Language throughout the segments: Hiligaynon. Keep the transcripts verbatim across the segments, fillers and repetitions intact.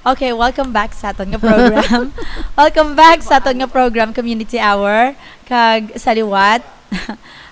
Okay, welcome back sa aton nga program. Welcome back sa aton nga program, Community Hour. Kag sa liwat,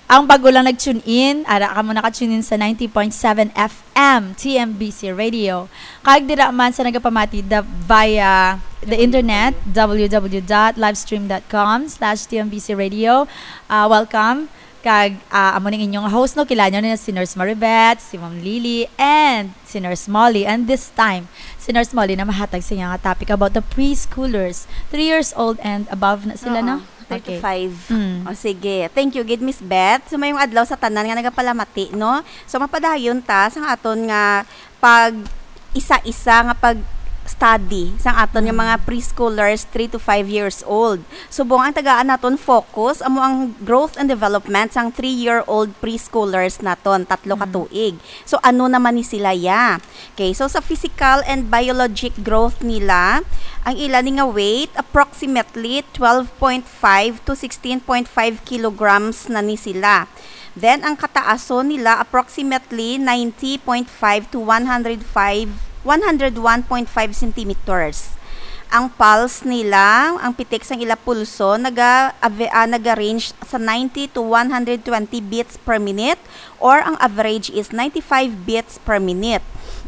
ang bago lang nag-tune in, ara kamo naka-tune in sa ninety point seven F M, T M B C Radio. Kag dira man sa nagapamati da, via the internet, w w w dot livestream dot com slash T M B C Radio. Ah, welcome. Kag, ah, amo ning inyong host, no, kilala nyo na si Nurse Maribeth, si Ma'am Lily, and si Nurse Molly. And this time, si Nurse Molly na mahatag sa iya nga topic about the preschoolers, three years old and above na sila, Oo, no? Three to Okay. five. Mm. O, sige. Thank you gid, Miss Beth. So, mayong adlaw sa tanan nga nagapalamati, no? So, mapadayon ta sa aton nga pag isa-isa nga pag-study sang aton nga Mm. mga preschoolers, three to five years old. Subong ang tagaan naton focus amo ang growth and development sang three-year-old preschoolers naton, tatlo ka Mm. tuig. So, ano naman ni sila ya? Okay, so sa physical and biologic growth nila, ang ila ni nga weight, approximately twelve point five to sixteen point five kilograms na ni sila. Then, ang kataason nila, approximately ninety point five to one hundred five, one hundred one point five centimeters. Ang pulse nila, ang pitik sang ila pulso, naga-, ave-, ah, naga-range sa ninety to one hundred twenty beats per minute, or ang average is ninety-five beats per minute.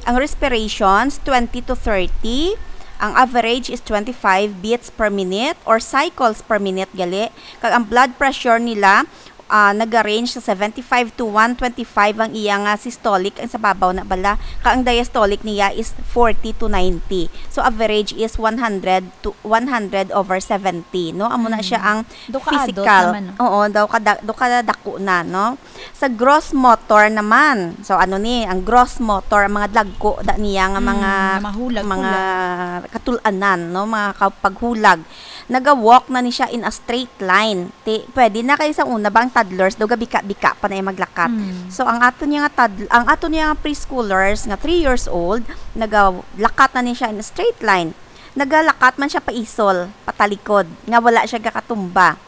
Ang respirations, twenty to thirty. Ang average is twenty-five beats per minute or cycles per minute gali. Kag ang blood pressure nila, ah, naga-range sa seventy-five to one twenty-five ang iya nga systolic, ang sa babaw na bala. Kag ang diastolic niya is forty to ninety. So, average is one hundred to one hundred over seventy, no? Amo na Mm. siya ang Daw ka adult physical. naman, no? Oo, daw ka da-, daw ka dako na, no? Sa gross motor naman. So, ano ni, ang gross motor, ang mga dagko da niya nga Mm, mga, nga mga hulag, mga hulag. katul-anan, no? Mga ka-, paghulag. Naga-walk na ni siya in a straight line. Ti, pwede na kay sa una ba ang toddlers, daw gabika-bika pa na yung maglakat. Mm. So, ang ato niya nga toddl-, ang ato niya nga preschoolers nga three years old, nagalakat na ni siya in a straight line. Nagalakat man siya paisol, patalikod, nga wala siya gakatumba.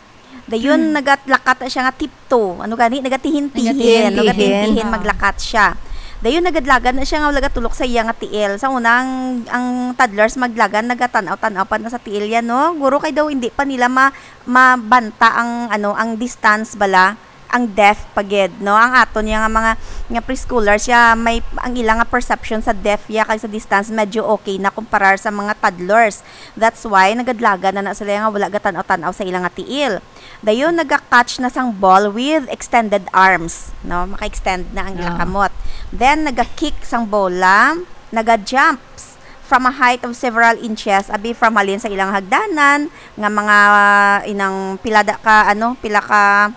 Dayon, Hmm. nagalakat na siya nga tiptoe. Ano gani? Nagatihin-tihin. Nagatihin-tihin. Nagatihin-tihin, Ah. maglakat siya. Dayon, nagadlagan na siya nga wala gatulok sa iya nga tiil. Sa una, ang, ang toddlers maglagan, nagatan-aw-tan-aw pa na sa tiil yan, no? Guro kay daw hindi pa nila ma-, mabanta ang, ano, ang distance bala, ang depth pa gid, no? Ang aton niya nga mga, nga preschoolers, siya may, ang ila nga perception sa depth ya kag sa distance, medyo okay na kumparar sa mga toddlers. That's why nagadlagan na na sila nga wala gatan-aw-tan-aw sa ila nga tiil. Dayon, naga-catch na sang ball with extended arms, no? Maka-extend na ang ila Ah. kamot. Then, naga-kick sang bola, naga-jumps from a height of several inches, abi, from halin sa ilang hagdanan, nga mga inang pila da ka, ano, pila ka,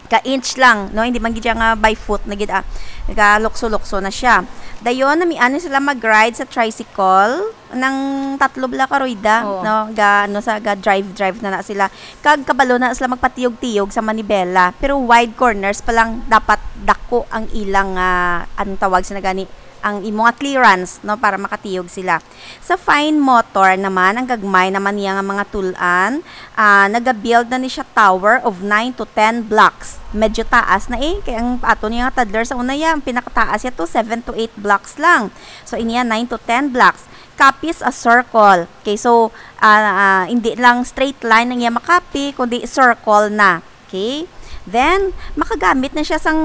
ka inch lang, no? Hindi man gid siya nga by foot na gid, ah. Nagalukso-lukso na siya. Dayon, namian na sila mag-ride sa tricycle. Nang tatlo bala ka rueda, Oo. no? Ga, ano, sa, ga drive-drive na na sila. Kag kabalo na sila magpatiyog-tiyog sa manibela. Pero wide corners pa lang, dapat dako ang ilang, ah, anong tawag sa nagani, ang imo nga clearance, no, para makatiyog sila. Sa fine motor naman, ang gagmay naman niya nga mga tul-an, ah, nagabuild na ni siya tower of nine to ten blocks. Medyo taas na eh, kay ang ato niya nga toddler sa una ya, ang pinakataas ya to, seven to eight blocks lang. So, iniya, nine to ten blocks. Copies a circle. Okay, so, ah, ah, hindi lang straight line ang iya makapi, kundi circle na. Okay? Then, makagamit na siya sang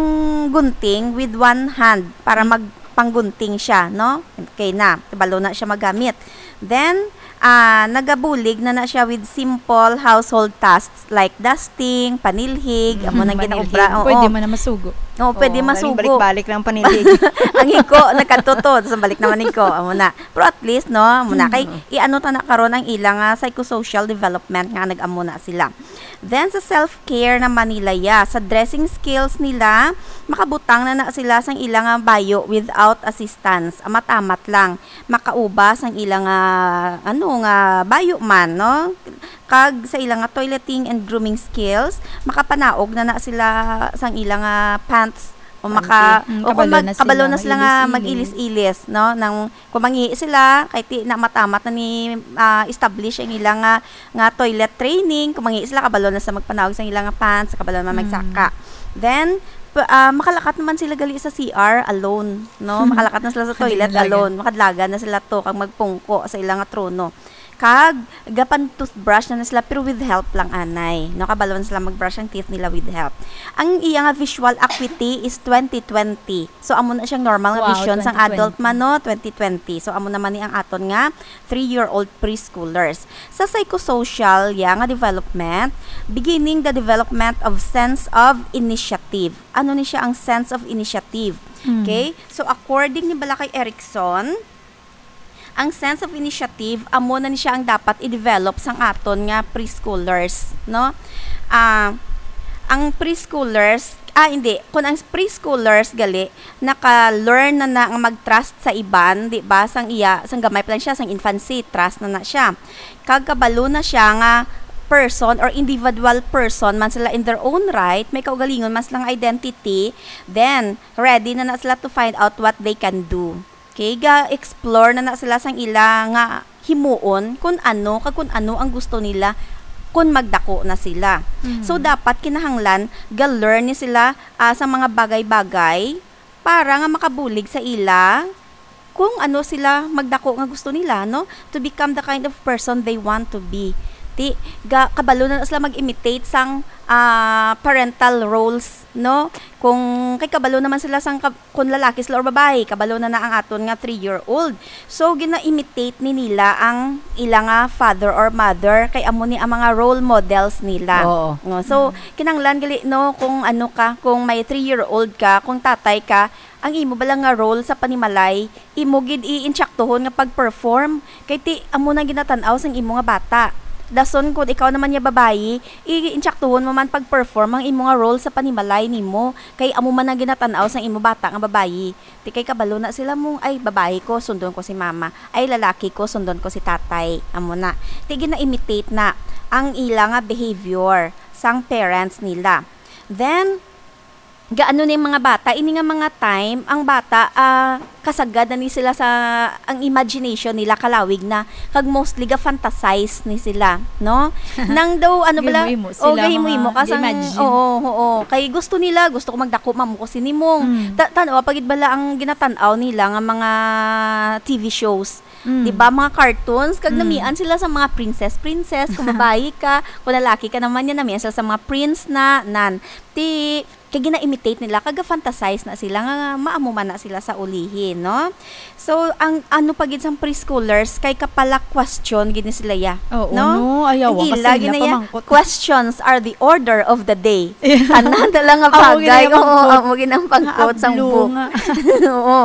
gunting with one hand para Mm. magpanggunting siya, no? Okay na, kabalo na siya magamit. Then, ah, nagabulig na na siya with simple household tasks like dusting, panilhig, amo nang Manilhig. ginaobra. Oo. Pwede man na masugo. Oo, pwede Oo, masugo. Balik-balik lang panilhig. Ang hiko, nagkadto to, sa balik naman hiko, amo na. Pero at least, no, amo na. Kay, Mm. i-ano ta na karon ang ilang, ah, psychosocial development nga nag-amo na sila. Then, sa self-care naman nila, ya, sa dressing skills nila, makabutang na na sila sang ilang, ah, bayo without assistance. Amat-amat lang. Makauba sang ilang, ah, ano, nga bayo man, no? Kag sa ilang, ah, toileting and grooming skills, makapanaog na na sila sang ilang, ah, pants. O maka-, Panty. Mm, o kabalo mag-, na kabalo sila na sila nga mag-ilis-ilis. mag-ilis-ilis, no? Nang kung mangihi sila, kay ti-, na matamat na ni, ah, establish ang ilang nga, nga toilet training. Kung mangihi sila, kabalo na sa magpanaog sa ilang nga pants, kabalo na Mm. magsaka. Then, pa-, ah, makalakat naman sila gali sa C R alone, no? Makalakat na sila sa toilet Kadlagan. alone. Makadlagan na sila to kag magpungko sa ilang trono. Kag gapan toothbrush na, na sila, pero with help lang anay, no? Kabalo na sila mag-brush ang teeth nila with help. Ang iya nga visual acuity is twenty twenty. So, amo na siyang normal nga Wow, vision sang twenty twenty. adult man, no? Twenty twenty. So, amo naman ni ang aton nga three-year-old preschoolers. Sa psychosocial, ya, nga development, beginning the development of sense of initiative. Ano ni siya ang sense of initiative? Mm. Okay? So, according ni bala kay Erickson, ang sense of initiative, amo na ni siya ang dapat i-develop sang aton nga preschoolers, no? Ah, ang preschoolers, ah, hindi, kung ang preschoolers gali, naka-learn na na nga mag-trust sa iban, di ba? Sang iya, sang gamay pa lang siya, sang infancy, trust na na siya. Kag kabalo na siya nga person or individual person man sila in their own right, may kaugalingon man sila nga identity, then ready na na sila to find out what they can do. Okay, ga-explore na na sila sang ila nga himuon kung ano, kag kung ano ang gusto nila kung magdako na sila. Mhm. So, dapat kinahanglan ga-learn ni sila, ah, sa mga bagay-bagay para nga makabulig sa ila kung ano sila magdako nga gusto nila, no? To become the kind of person they want to be. Ti, ga, kabalo na sila mag-imitate sang, ah, parental roles, no? Kung kay kabalo naman sila sang kab-, kung lalaki sila or babayi, kabalo na na ang aton nga three-year-old. So, gina-imitate ni nila ang ila nga father or mother, kay amo ni ang mga role models nila. Oo. No? So, kinahanglan gali, no, kung ano ka, kung may three-year-old ka, kung tatay ka, ang imo bala nga role sa panimalay, imo gid i-intsaktuhon nga pag-perform. Kay ti, amo na ginatan-aw sang imo nga bata. Dason, kung ikaw naman ya babayi, i-intsaktuhon mo man pag-perform ang imo nga role sa panimalay nimo. Kay amo man ang ginatan-aw sang imo bata nga babayi. Ti kay kabalo na sila mong, "Ay, babayi ko, sundon ko si mama. Ay, lalaki ko, sundon ko si tatay." Amo na. Ti gina-imitate na ang ila nga behavior sang parents nila. Then, gaano ni mga bata, ini nga mga time, ang bata, ah, kasagad na ni sila sa, ang imagination nila kalawig na, kag mostly ga-fantasize ni sila, no? Nang daw, ano bala, Gahimo-himo o, sila, gahimo-himo mga ka sang, imagine. Oo, oo. Kay gusto nila, gusto ko magdako, mamuko sinimong. Mm. Ta-, tan-aw, pagid bala ang ginatan-aw nila nga mga T V shows. Mm. Di ba, mga cartoons, kag Mm. namian sila sa mga princess, princess, kung babayi ka, kung lalaki ka naman yan, namian sila sa mga prince na, nan. Ti, kay gina-imitate nila, kag ga-fantasize na sila nga maamo man na sila sa ulihi, no? So, ang ano pa gid sang preschoolers, kay kapala question gid ni sila ya, Oo, no? no? Ayaw, Ang kasi ila nila gid na ya, pamangkot. Questions are the order of the day. Tanan na lang nga Amo gid bagay, na oo, pamangkot. amo gid ang pangkot sang Naablo book. nga. Oo.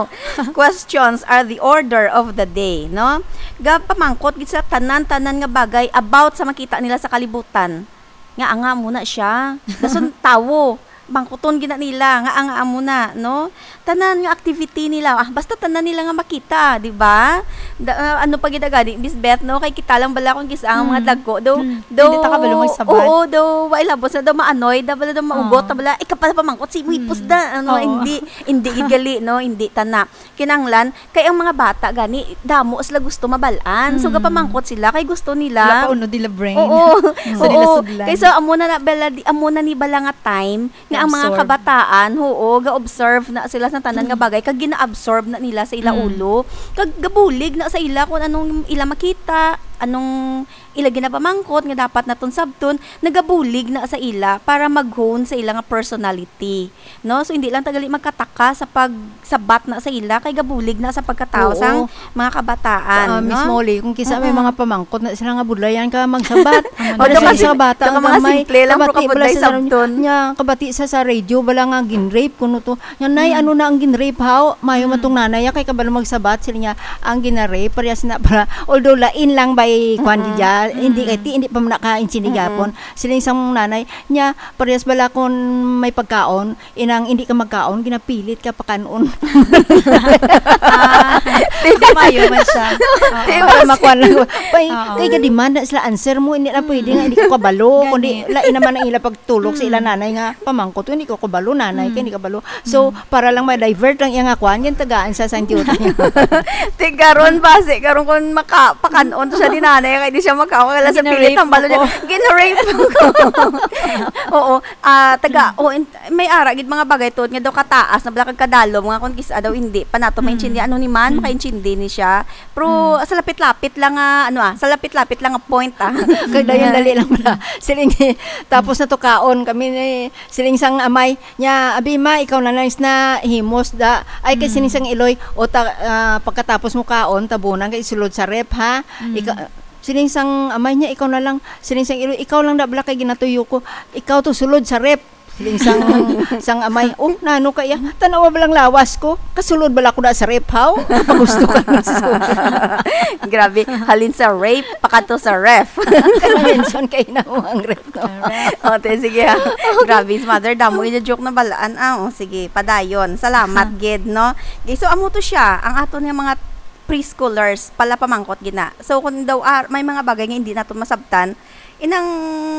Questions are the order of the day, no? Gapamangkot gid sa tanan-tanan nga bagay about sa makita nila sa kalibutan. Nga anga mo na siya. Dason tawo. Bangkuton gina nila nga anga mo na, no? Tanan nga activity nila, ah, basta tanan nila nga makita, di ba? Da, ah, ano pa gid gani, Miss Beth, no? Kay kita lang bala kung kis-a ang mga Mm. dagko, daw, Mm. daw, Hindi ta kabalo magsabat. Oo, daw, wa ilabot sa daw maanoy, daw bala daw maugot, Oo. daw bala, ikaw pala pamangkot, si mo ipos Mm. da, ano, Oo. hindi, hindi gid gali, no? Hindi tana. Kinahanglan, kay ang mga bata gani, damo sila gusto mabal-an. So, Mm. gapamangkot sila, kay gusto nila. Wala pa unod nila brain. Oo. Sa nila Oo. sudlan. Kay so, amo na, na bala, di, amo na ni bala nga time, nga ang mga Absorb. kabataan, oo, ga-observe na sila sa tanan nga Mm. bagay, kag gina-absorb na nila sa ila Mm. ulo. Kag gabulig na sa ila kung anong ila makita, anong ila ginapamangkot nga dapat naton sabton, nagabulig na sa ila para mag-hone sa ila nga personality, no? So, hindi lang tagali magkataka sa pagsabat na sa ila, kay gabulig na sa pagkatao Oo. sang mga kabataan, Ah, Miss no? Molly, kung kisa may Mm-mm. mga pamangkot na sila nga budlayan ka magsabat, Ano Baka bala kasi sa mga, bata baka ang mga gamay, simple lang, pero kabati bala kabudlay sa sabton. Nya, kabati sa, sa radio, bala nga gin-rape, kuno to. Nya, "Nay, Mm. ano na ang gin-rape, haw?" Mayo man Mm. tong nanay, ah, kay kabalo magsabat, sila niya, ang gina-rape, parehas na para, although lain lang by kwan Mm-mm. di dya, hindi Mm. kay ti, hindi pa man naka-insinigapon. Mm-mm. Sila yung isang nanay, niya, parehas bala kung may pagkaon, inang hindi ka magkaon, ginapilit ka pakanon. Ah, mayo man siya. Oo. Di ba, Para si makuha lang. Kay, Oo. kay ga-demand na sila answer mo, hindi na pwede Mm. nga, hindi ko kabalo, Gani. kundi lain naman ang ila pagtulog sa ila Mm. nanay nga, "Pamangkot ko, hindi ko kabalo, nanay, Mm. kay hindi kabalo." So, Mm. para lang ma-divert lang iya nga kwan, yung tagaan sa sang duty. Ti karon ba, si, karon kung maka-, pakanon siya ni Nanay, kay di siya makaon, kaya sa pilit, Gina-rape ang balon niya. Ako. Gina-rape ako. Oo. Ah, taga, oh, in-, may ara gid mga bagay tuod nga daw kataas na bala kag kadalom nga kung kis-a daw hindi pa nato Mm. maintindihan. Ano ni man, Mm. makaintindi ni siya. Pero Mm. sa lapit-lapit lang nga, ano ah, sa lapit-lapit lang nga point ah. Kag dayon dali lang pala. Siling, tapos na to kaon kami ni, siling sang amay niya, "Abi ma, ikaw na lang is na himos da." Ay, kay Mm. siling sang iloy, o ta-, ah, pagkatapos mo kaon, tabunan kay sulod sa ref, ha? Mm. Ika-, siling sang amay niya, "Ikaw na lang." Siling sang iloy, "Ikaw lang da bala kay ginatuyo ko. Ikaw to sulod sa ref." Siling sang, sang amay, "Oh, nano kaya? Tanawa ba lang lawas ko? Kasulod bala ko na sa ref, haw? Pagusto ka na sa." Grabe, halin sa rape, pakadto sa ref. Kaya mention kay na mo ang ref, no? Correct. O, te, sige, ha. Grabe, si mother, damo gid joke na balaan. Ah, o, sige, padayon. Salamat, gid, no? Okay, so, amo to siya, ang aton nga mga preschoolers, pala pamangkot gid na. So, kung daw, ah, may mga bagay nga hindi naton masabtan, inang,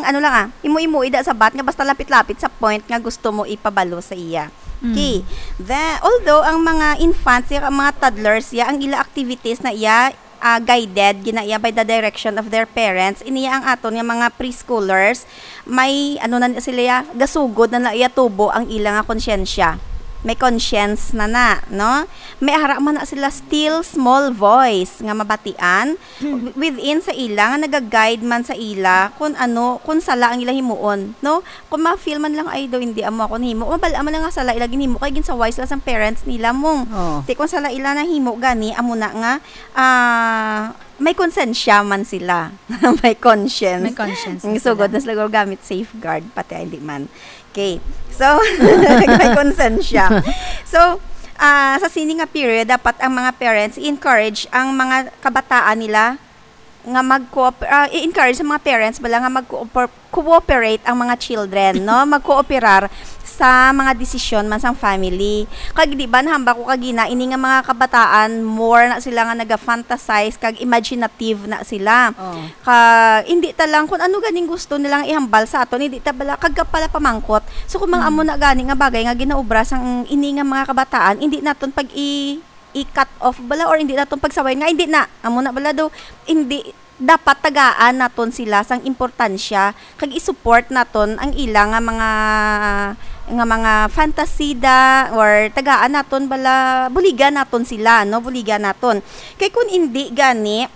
ano lang, ah, imo-imo ida sabat nga basta lapit-lapit sa point nga gusto mo ipabalo sa iya. Mm. Okay. The, although ang mga infants, ya, ang mga toddlers, ya, ang ila activities na iya, ah, guided, gina iya by the direction of their parents, iniya ang aton nga mga preschoolers, may, ano na sila, ya, gasugod na na iya tubo ang ila nga konsyensya. May conscience na na, no? May ara man na sila still small voice nga mabatian. Hmm. Within sa ila nga naga-guide man sa ila kung ano, kung sala ang ila himuon, no? Kung ma-feel man lang, "Ay, daw hindi amo akong himo." Mabal-a man lang nga sala ila ginhimo kay ginsaway sila sang parents nila mong. Oh. Ti kung sala ila nahimo gani, amo na nga, ah, may konsensya man sila. May conscience. May conscience na Ang sugod sila. Na sila gamit safeguard, pati ay hindi man. Okay. So, may konsensya. So, ah, sa sini nga period, dapat ang mga parents i-encourage ang mga kabataan nila nga mag-cooper-, ah, i-encourage sa mga parents bala nga mag-cooper-, cooperate ang mga children, no? Magkooperar sa mga desisyon man sang family. Kag di ba, nahambal ko kagina, ini nga mga kabataan, more na sila nga naga-fantasize kag imaginative na sila. Oh. Ka, hindi ta lang kung ano ganing gusto nilang ihambal sa aton, hindi ta bala, kag pala pamangkot. So, kung mga Mm. amo na gani nga bagay nga ginaobra sang ini nga mga kabataan, hindi naton pag i-, i-cut off bala or hindi naton pagsawayan nga, hindi na, amo na bala daw, hindi, dapat tagaan naton sila sang importansya, kag i-support naton ang ila nga mga, nga mga fantasy da, or tagaan naton bala, buligan naton sila, no? Buligan naton. Kay kung hindi gani,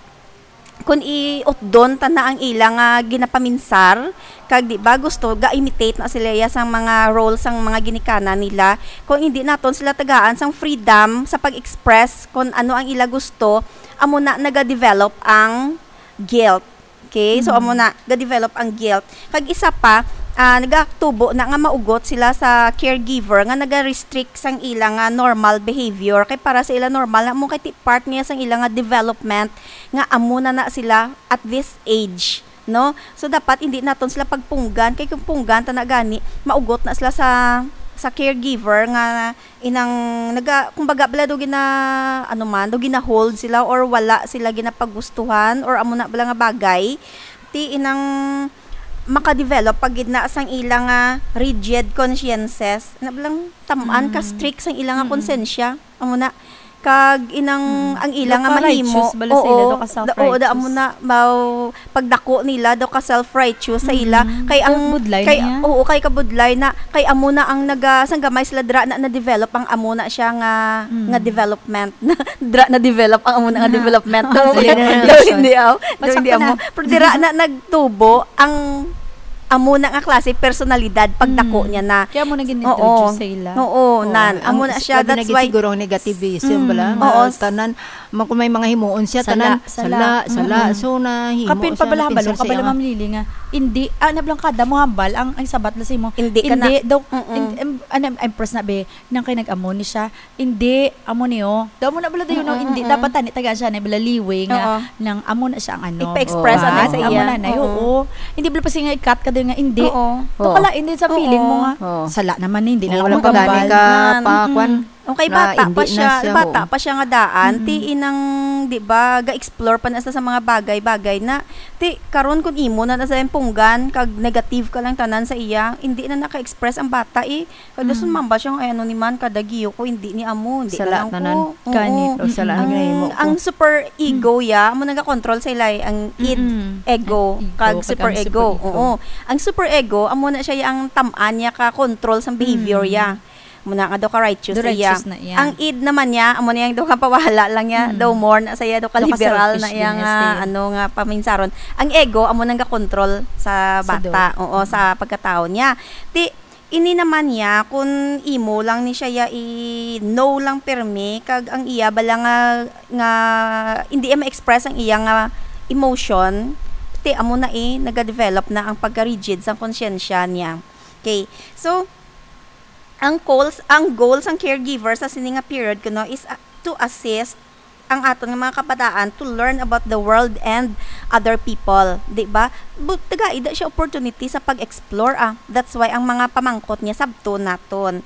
kung iutdon ta na ang ila nga ginapaminsar, kag di ba gusto, ga-imitate na sila iya sang mga role sang mga ginikanan nila. Kung hindi naton sila tagaan sang freedom sa pag-express kung ano ang ila gusto, amo na naga-develop ang guilt. Okay? So, amo Mm. na, ga-develop ang guilt. Kag isa pa, ah, nagatubo na nga maugot sila sa caregiver nga naga-restrict sang ila nga normal behavior. Kay para sa ila normal na mo kay ti-, part niya sang ila nga development nga amo na na sila at this age, no? So, dapat hindi naton sila pagpunggan. Kay kung punggan ta na gani, maugot na sila sa, sa caregiver nga inang naga-, kumbaga, bala daw gina-, ano man, daw gina-hold sila or wala sila ginapagustuhan or amo na bala nga bagay. Ti inang maka-develop pa gid na sang ila nga rigid consciences. Na balang tam-an ka Mm. strict sang ila nga Mm-mm. konsensya. Amo na. Kag inang Mm. ang ila Daw nga ka mahimo. righteous bala sa ila, Oo, daw ka da-, oo, da-, amo self-righteous. na, maw-, pagdako nila, daw ka self-righteous sa ila. Mm. Kay ang, Kabudlay kay, niya. Oo, kay kabudlay na, kay amo na ang naga-, sang gamay sila dira na na-develop ang amo na siya nga, Mm. nga development. Dira na-develop ang amo na nga Na. development. Daw Sila na ang daw relasyon. hindi, aw. Daw Basta hindi ka na. amo. Pero dira na nagtubo ang amo na nga klase personalidad pagdako Mm. niya na. Kaya mo naging Oo. introduce sa ila. Oo, Oo. nan. Ang Amo na is-, siya, grabe na that's gid why siguro ang negativism, Mm. bala, nga Oo. tanan, ma-, kung may mga himuon siya, Sala, tanan, sala. sala, sala. Mm-mm. So, nahimo Kapin siya, pabalahan, napinsar balo ka sa bala, iya. Ma'am Lily, nga, hindi, ah, nablangkada mo hambal, ang, ang sabat na sa imo. Hindi ka na. Hindi, daw, Mm-mm. in-, em-, ano, impress na, be, nang kay nag-amo ni siya, hindi, amo niyo. Daw mo na bala dayon, no? Mm-mm, Hindi, mm-mm. dapat tani, tagaan siya na bala liwi nga Oo. nang amo na siya ang ano. Ipa-express But, ano sa amo iya. na, na, Oo. oo. Hindi bala pa siya nga i-cut ka dayon nga, hindi. Oo. Daw Oo. kalain din sa feeling mo Oo. nga, Oo. sala naman, hindi na Oo, lang wala pa gani magambal. ka Nan, pa, mm. kwan. Okay, na bata hindi pa na siya, siya, bata oo. pa siya nga daan, Mm-mm. Ti inang, di ba, ga-explore pa na sa, sa mga bagay-bagay na, ti karon kun imo na na sa punggan, kag negative ka lang tanan sa iya, hindi na naka-express ang bata, eh. Kada Mm. sumamba siya, "Ay, ano ni man, kada giyo ko, hindi ni amo, hindi Sala na lang tanan. ko." Oo. Ganit, o sala ang Mm. ginahimo ko. Ang super ego, Mm. ya, amo nagakontrol sa ila, eh, ang id, Mm-mm. ego, Ang ego, kag kag super ang ego. super ego. Oo. Ang super ego, amo na siya, ya, ang tam-an niya ka control sa behavior, Mm. ya. Amo na nga daw ka righteous Do sa iya. Righteous na iya. Ang id naman niya, amo na yang daw ka pawala lang niya, Mm. daw more na sa iya, daw ka Daw ka liberal selfish na iya din nga, niya, Steve. ano, nga paminsaron. Ang ego, amo nang gakontrol sa Sa bata, do. Oo, sa Mm. pagkatao niya. Ti, ini naman niya, kun imo lang ni siya ya i-no lang pirmi, kag ang iya bala nga, nga hindi iya ma-express ang iya nga emotion, ti amo na, eh, nagadevelop na ang pagka-rigid sang konsyensya niya. Okay. So, ang goals, ang goal sang caregiver sa sini nga period kuno is, ah, to assist ang aton nga mga kabataan to learn about the world and other people, di ba? Bu-, tagai da siya opportunity sa pag-explore, ah. That's why ang mga pamangkot niya sabton naton.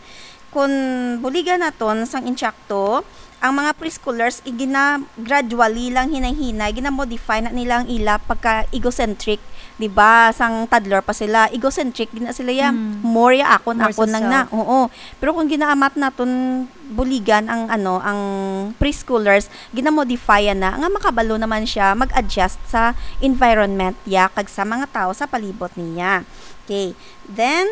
Kun buligan naton sang insakto, ang mga preschoolers, igina-, gradually lang hinay-hinay, ginamodify na nila ang ila pagka-egocentric, di ba? Sang toddler pa sila, egocentric gid na sila, ya. Mm. More ya akon, More akon sa lang na. self. Oo. Pero kung ginaamat naton buligan ang, ano, ang preschoolers, ginamodify na nga makabalo naman siya mag-adjust sa environment ya kag sa mga tao sa palibot niya. Okay. Then,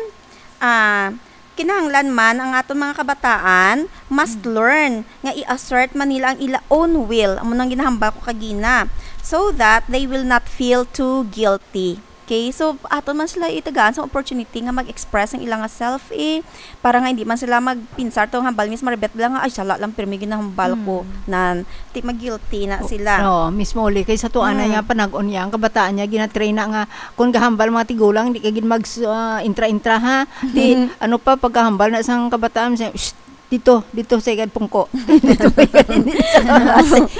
ah, kinahanglan man ang aton mga kabataan must Mm. learn nga i-assert man nila ang ila own will. Amo nang ginahambal ko kagina. So that they will not feel too guilty. Okay, so aton man sila itagaan sa opportunity nga mag-express ang ila nga self, eh, para nga hindi man sila magpinsar to, hambal, Miss Maribeth, lang nga, "Ay, sala lang, pirmi ginahambal ko." Hmm. Nan, ti mag-guilty na O, sila. Oo, mismo, Uli. Kay sa tuwa na Hmm. niya, panag-on niya, ang kabataan niya, ginatrain na nga, kung gahambal mga tigulang, hindi ka gid mag, ah, intra-intra, ha? Di, ano pa, pagkahambal na sang kabataan, siya, "Shh, dito, dito sa ikad pungko." Dito pa yan, hindi sa,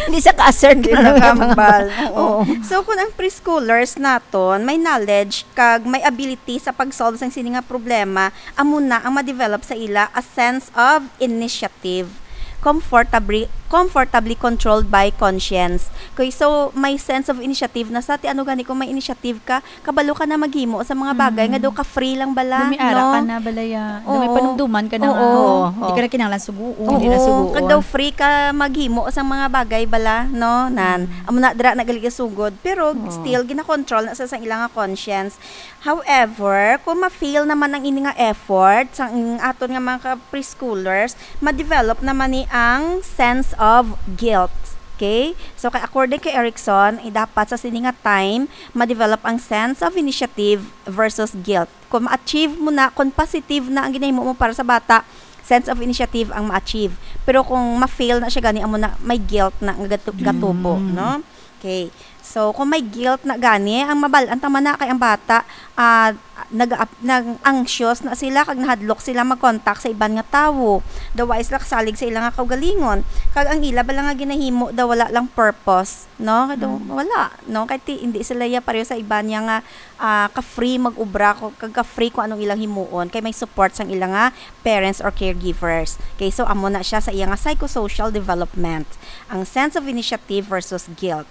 hindi sa ka-assert Hindi ka sa lang yung mga kahambal. Oo. Oo. So, kung ang preschoolers naton may knowledge kag may ability sa pag-solve sang sini nga problema, amo na ang ma-develop sa ila a sense of initiative, comfortably, comfortably controlled by conscience. Okay, so may sense of initiative na sa ti ano gani kung may initiative ka, kabalo ka na maghimo sa mga bagay Mm. nga daw ka free lang bala, Lumiara no? ka na bala ya. Daw may Oo. panumduman ka na Oo. nga. Oo. Hindi ka na kinahanglan suguon. Oo. Hindi na suguon. Kag daw free ka maghimo sa mga bagay bala, no? Nan. Mm. Amo na dira na gali ka sugod. Pero Oo. still, ginakontrol na sa, sa ilang nga conscience. However, kung ma-fail naman ang ini nga effort sa ang aton nga mga ka-, preschoolers, ma-develop naman ni ang sense of guilt. Okay? So, kay according kay Erickson, eh, dapat sa sini nga time, ma-develop ang sense of initiative versus guilt. Kung ma-achieve mo na, kung positive na ang ginahimo mo para sa bata, sense of initiative ang ma-achieve. Pero kung ma-fail na siya gani, amo na, may guilt na nga gatu-, gatubo, Mm. no? Okay. So, kung may guilt na gani, ang mabal-an ta man na kay ang bata, ah, nag-, nag-anxious na sila, kag nahadlok sila mag-contact sa iban nga tawo. Daw wa sila kasalig sa ila nga kaugalingon. Kag ang ila bala nga ginahimo daw wala lang purpose, no? Kay daw Mm. wala, no? Kay ti-, hindi sila ya pareho sa iban niya nga, ah, ka-free mag-obra ko, kag ka-free kung anong ilang himuon. Kay may support sang ila nga parents or caregivers. Okay, so amo na siya sa iya nga psychosocial development. Ang sense of initiative versus guilt.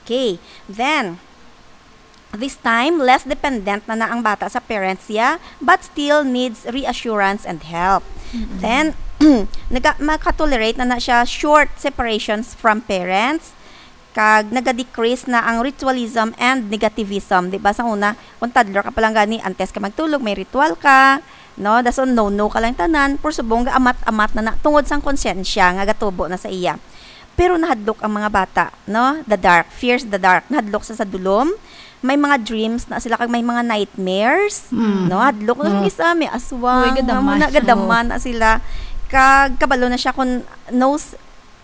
Okay, then, this time, less dependent na na ang bata sa parents niya, but still needs reassurance and help. Mm-mm. Then, naga-, makatolerate na na siya short separations from parents, kag naga-decrease na ang ritualism and negativism. Di ba, sa una, kung toddler ka pa lang gani, antes ka magtulog, may ritual ka, no? Dason, no-no ka lang tanan, pero subong ga amat-amat na na, tungod sang konsyensya nga gatubo na sa iya. Pero nahadlok ang mga bata, no? The dark, fears the dark. Nahadlok sa, sa dulom. May mga dreams na sila, kag may mga nightmares, Mm. no? Hadlok na Mm. isa, may aswang, Uy, gadaman. amo na, gadaman na sila. Kag kabalo na siya kung knows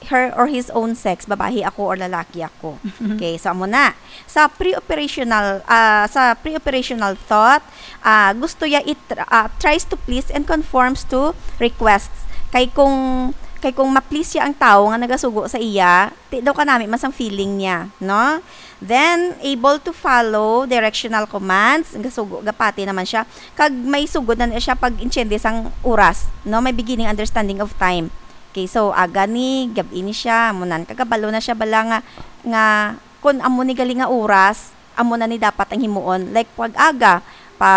her or his own sex, babae ako or lalaki ako. Okay, so amo na. Sa pre-operational, ah, sa pre-operational thought, ah, gusto niya it, ah, tries to please and conforms to requests. Kay kung, kay kung ma-please siya ang tawo nga nagasugo sa iya, ti daw kanami man sang feeling niya, no? Then, able to follow directional commands, gasugo, gapati naman siya. Kag may sugod na siya pag-intiende sang oras, no? May beginning understanding of time. Okay, so aga ni, gab-i ni siya, amo nan, kagabalo na siya bala nga, nga kun amo ni gali nga oras, amo na ni dapat ang himuon. Like, pag aga, pa,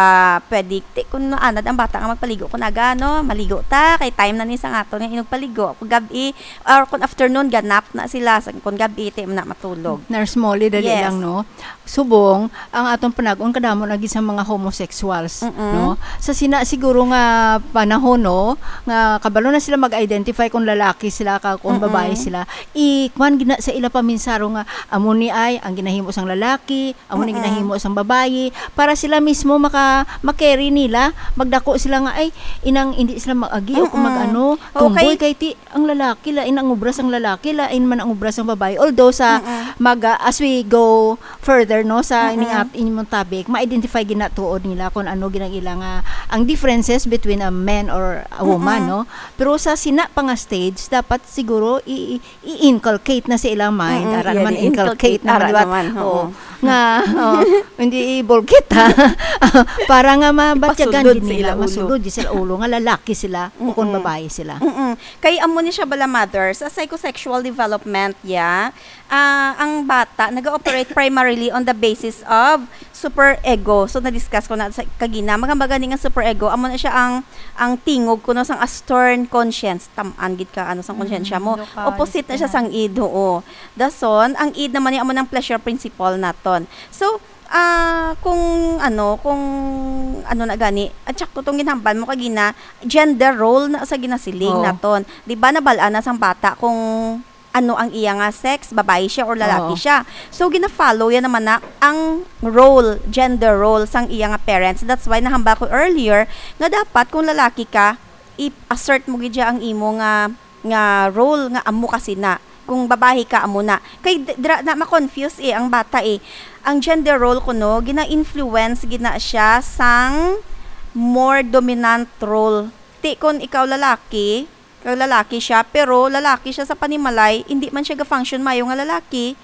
pwede, ti, kun anad ang bata nga magpaligo, kun aga, no, maligo ta, kay time na ni sa aton nga inugpaligo. Kung gab-i, or kung afternoon, ganap na sila, sa, kung gab-i, ti, na matulog. Nurse Molly, dali Yes. lang, no? Subong, ang aton panag-on kadamo na gid sa mga homosexuals, Mm-mm. no? Sa sina siguro nga panahon, no, nga kabalo na sila mag-identify kung lalaki sila ka kung Mm-mm. babae sila, i-, kwan gina sa ila paminsaro nga amo ni ay ang ginahimo sang lalaki, amo ni Mm-mm. ginahimo sang babayi, para sila mismo maka-, ma-carry nila, magdako sila nga, ay, inang hindi sila mag-agi o kung Mm-mm. mag-ano, Okay. tomboy kay ti, ang lalaki, lain ang obra sang lalaki, lain man ang obra sang babae. Although sa Mm-mm. maga-, as we go further, no, sa Mm-mm. ining at-, inyong topic, ma-identify ginatuod nila kung ano ginang ila nga ang differences between a man or a woman, Mm-mm. no? Pero sa sina pa nga stage, dapat siguro i-, i-, i-inculcate na sa ilang mind. Mm-mm, Ara yeah, naman, i-inculcate inculcate na ara liwat. naman, Oo. oo. Nga, oh, hindi ibulkit, ha? Para nga mabatyagan Ipasulod gid sa nila, ila ulo. masulod gid sa ulo nga lalaki sila o kung Mm-mm. babae sila. Mm-mm. Kay amo ni siya bala, mother, sa psychosexual development, ya, ah, ang bata nag-ooperate primarily on the basis of superego. So, na-discuss ko na sa kagina. Magamba gani nga superego, amo na siya ang, ang tingog kuno sang a stern conscience. Tam-an gid ka, ano, sang konsyensya Mm, mo. lokal, Opposite na siya yan. sang id, oo. Dason, ang id naman ni amo ng pleasure principle naton. So, ah, kung ano, kung ano na gani, at sakto tong ginhambal mo kagina, gender role na sa ginasiling Oo. naton. Di ba, nabal-an na sang bata kung ano ang iya nga sex, babayi siya or lalaki Oo. siya. So, gina-follow yan naman na ang role, gender role sang iya nga parents. That's why nahambal ko earlier nga dapat kung lalaki ka, i-assert mo gid siya ang imo nga, nga role nga amo ka sina. Kung babayi ka, amo na. Kay d-, dira na ma-confuse eh ang bata eh. Ang gender role kuno, gina-influence gid na siya sang more dominant role. Ti kung ikaw lalaki, kag lalaki siya, pero lalaki siya sa panimalay, hindi man siya ga-function mayo nga lalaki.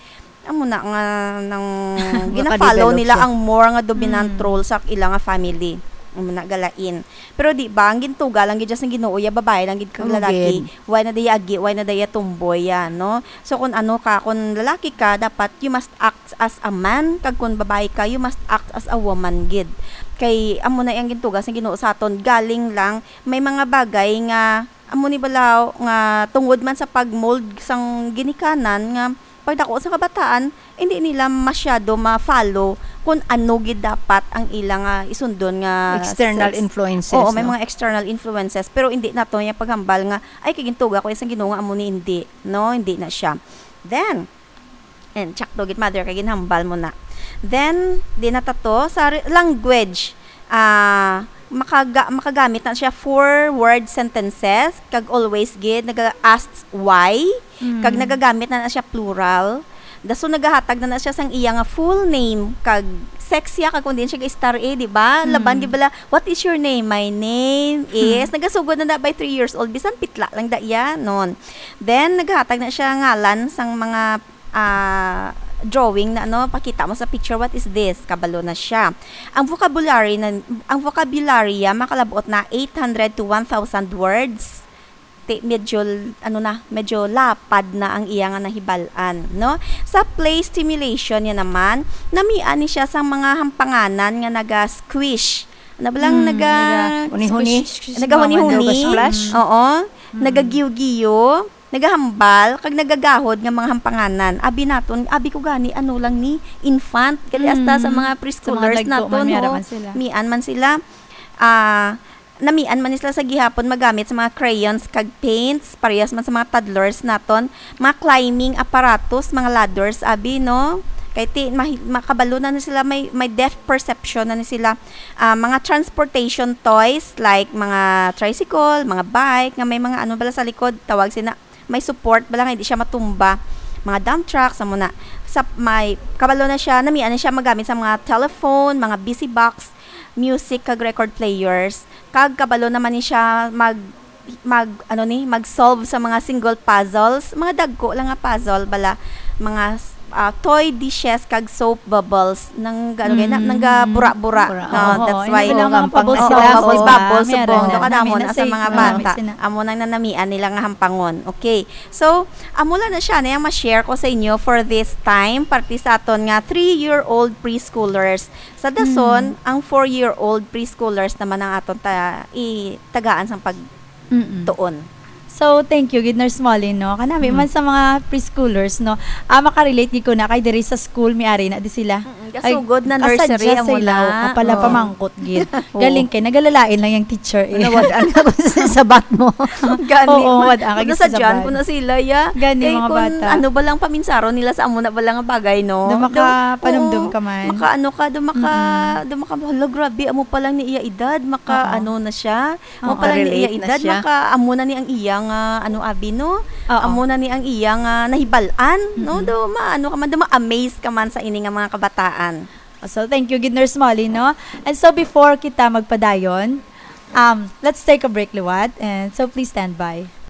Amo na nga nang Nga gina-follow ka-develop nila siya. ang more nga dominant Mm. role sa ila nga family. Amo na galain. Pero di ba, ang gintuga lang gid siya sang Ginoo, ya babayi lang gid kag Amo lalaki. gid. Why na daya agi, why na daya tomboy ya, no? So, kung ano ka, kung lalaki ka, dapat you must act as a man, kag kung babayi ka, you must act as a woman gid. Kay amo na ang gintuga sang Ginoo sa aton, galing lang may mga bagay nga amo ni balaw nga tungod man sa pag-mold sang ginikanan nga pagdako sa kabataan, hindi nila masyado ma-follow kung ano gid dapat ang ila nga isundon nga External sex. influences, Oo, may no? mga external influences, pero hindi nato niya paghambal nga, "Ay, kay gintuga ko isang Ginoo nga amo ni," hindi, no? Hindi na siya. Then, and sakto gid, mother, kay ginhambal mo na. Then, di na ta to sa re-, language. Ah, makaga-, makagamit na siya four-word sentences, kag always gid naga-ask why, kag Mm. nagagamit na na siya plural. Dason nagahatag na na siya sang iya nga full name, kag sex ya, kag kung diin siya ga-star eh, di ba? Mm. Laban gid bala, "What is your name?" "My name is," Mm. nagasugod na na by three years old, bisan pitla lang da iya, non. Then, nagahatag na siya ngalan sang mga, ah, drawing na, ano, pakita mo sa picture, "What is this?" Kabalo na siya. Ang vocabulary na, ang vocabulary ya makalabot na eight hundred to one thousand words. Ti-, medyo l-, ano na, medyo lapad na ang iya nga nahibal-an, no? Sa play stimulation niya naman, namian ni siya sang mga hampanganan nga naga-squish. Ano ba lang Mm, naga-, naga-huni-huni. squish, squish, squish, Nagahuni-huni. naga-splash. Oo. Mm. Nagagiyo-giyo, nagahambal, kag nagagahod nga mga hampanganan. Abi naton, abi ko gani, ano lang ni, infant. Kaya hasta sa Mm. mga Sa mga preschoolers dagko naton, man, may no? araman sila. Mian man sila. Ah, namian man sila sa gihapon magamit sa mga crayons kag paints, parehas man sa mga toddlers naton, mga climbing apparatus, mga ladders, abi, no? Kay ti-, mahi-, makabalo na ni sila, may, may depth perception na ni sila. Ah, mga transportation toys, like mga tricycle, mga bike, nga may mga ano bala sa likod, tawag sina, may support bala nga hindi siya matumba. Mga dump trucks, amo na. Sa may, kabalo na siya, namian na siya magamit sa mga telephone, mga busy box, music, kag record players. Kag kabalo naman ni siya mag, mag, ano ni, mag-solve sa mga single puzzles, mga dagko lang nga puzzle bala, mga s-, ah, toy dishes kag soap bubbles nang, ano, kay na, Mm. nang gabura-bura. Bura. Ah, Oo, that's yun why. Ang mga Oo, bubbles, bubbles, bubbles, bubbles, bubbles, meron subong, na. Doon ka na Nami mo na na sa say, mga oo, bata. Nami na. Amo nang nanamian nila nga hampangon. Okay. So, amo lang na siya na yung ma-share ko sa inyo for this time, parte sa aton nga three-year-old preschoolers. Sa dason, Mm. ang four-year-old preschoolers naman ang aton ta-, itagaan sang pag- Mm-mm. tuon. So, thank you gid, Nurse Molly, no? Kanami Mm. man sa mga preschoolers, no? Ah, makarelate gid ko na kay diri sa school, may ari na di sila. Mm-mm. Ay, kasugod na nursery, kasadya sa amo ilaw, na. Kapala Oo. pamangkot gid. Oo. Galing kay nagalalain lang yung teacher, eh. Nawad-an ka sa sabat mo. Gani, Oo, ma-, wad-an ka gid sa nasadyan sabat. Ko na sila, ya. Gani, kay mga kung bata. Ano ba lang paminsaron nila sa amo na ba lang nga bagay, no? Do makapanumdum Oo, ka man. Maka-ano ka, do maka-, Mm-mm. do maka-, "Hala, grabe, amo pa lang ni iya edad, maka-, Oo. ano na siya." Mo Oo. pala ni iya Relate na edad, siya. Maka-, amo na ni ang iya nga, ano, abi, no? Oo. Amo na ni ang iya nga nahibal-an, no? Mm-mm. Do, ma-, ano ka man, do ma-amaze ka man sa ini nga mga kabataan. So, thank you gid, Nurse Molly, no? And so, before kita magpadayon, um, let's take a break, liwat. And so, please stand by.